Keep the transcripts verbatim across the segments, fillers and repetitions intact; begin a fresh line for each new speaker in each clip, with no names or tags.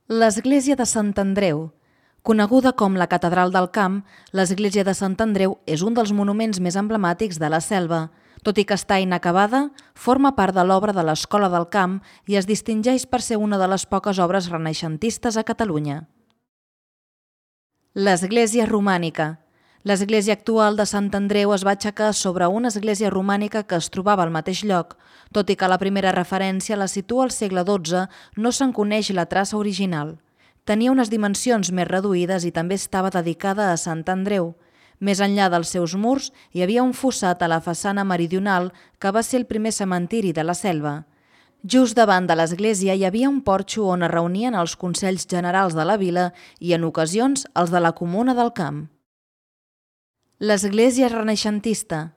L'església de Sant Andreu. Coneguda com la Catedral del Camp, l'església de Sant Andreu és un dels monuments més emblemàtics de la Selva. Tot i que està inacabada, forma part de l'obra de l'Escola del Camp i es distingeix per ser una de les poques obres renaixentistes a Catalunya. L'església romànica. L'església actual de Sant Andreu es va aixecar sobre una església romànica que es trobava al mateix lloc. Tot i que la primera referència la situa al segle dotze, no se'n coneix la traça original. Tenia unes dimensions més reduïdes i també estava dedicada a Sant Andreu. Més enllà dels seus murs, hi havia un fossat a la façana meridional que va ser el primer cementiri de la Selva. Just davant de l'església hi havia un porxo on es reunien els consells generals de la vila i, en ocasions, els de la comuna del Camp. L'església renaixentista.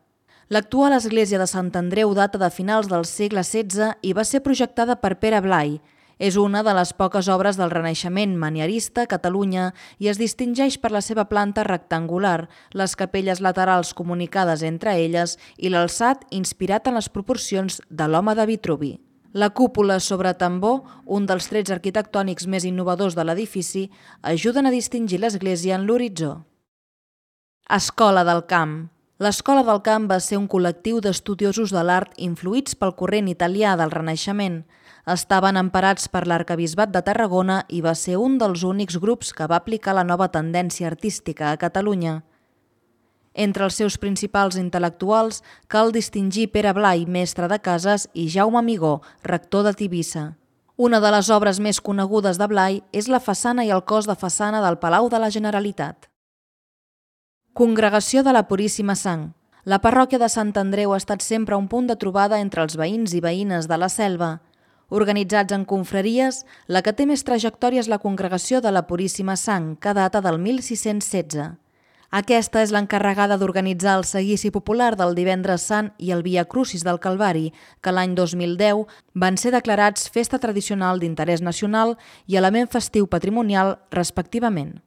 L'actual església de Sant Andreu data de finals del segle setze i va ser projectada per Pere Blai. És una de les poques obres del Renaixement manierista a Catalunya i es distingeix per la seva planta rectangular, les capelles laterals comunicades entre elles i l'alçat inspirat en les proporcions de l'home de Vitruvi. La cúpula sobre tambor, un dels trets arquitectònics més innovadors de l'edifici, ajuden a distingir l'església en l'horitzó. Escola del Camp. L'Escola del Camp va ser un col·lectiu d'estudiosos de l'art influïts pel corrent italià del Renaixement. Estaven emparats per l'Arquebisbat de Tarragona i va ser un dels únics grups que va aplicar la nova tendència artística a Catalunya. Entre els seus principals intel·lectuals cal distingir Pere Blai, mestre de cases, i Jaume Amigó, rector de Tivissa. Una de les obres més conegudes de Blai és la façana i el cos de façana del Palau de la Generalitat. Congregació de la Puríssima Sang. La parròquia de Sant Andreu ha estat sempre un punt de trobada entre els veïns i veïnes de la Selva. Organitzats en confraries, la que té més trajectòria és la Congregació de la Puríssima Sang, que data del mil sis-cents setze. Aquesta és l'encarregada d'organitzar el seguici popular del Divendres Sant i el Via Crucis del Calvari, que l'any dos mil deu van ser declarats festa tradicional d'interès nacional i element festiu patrimonial, respectivament.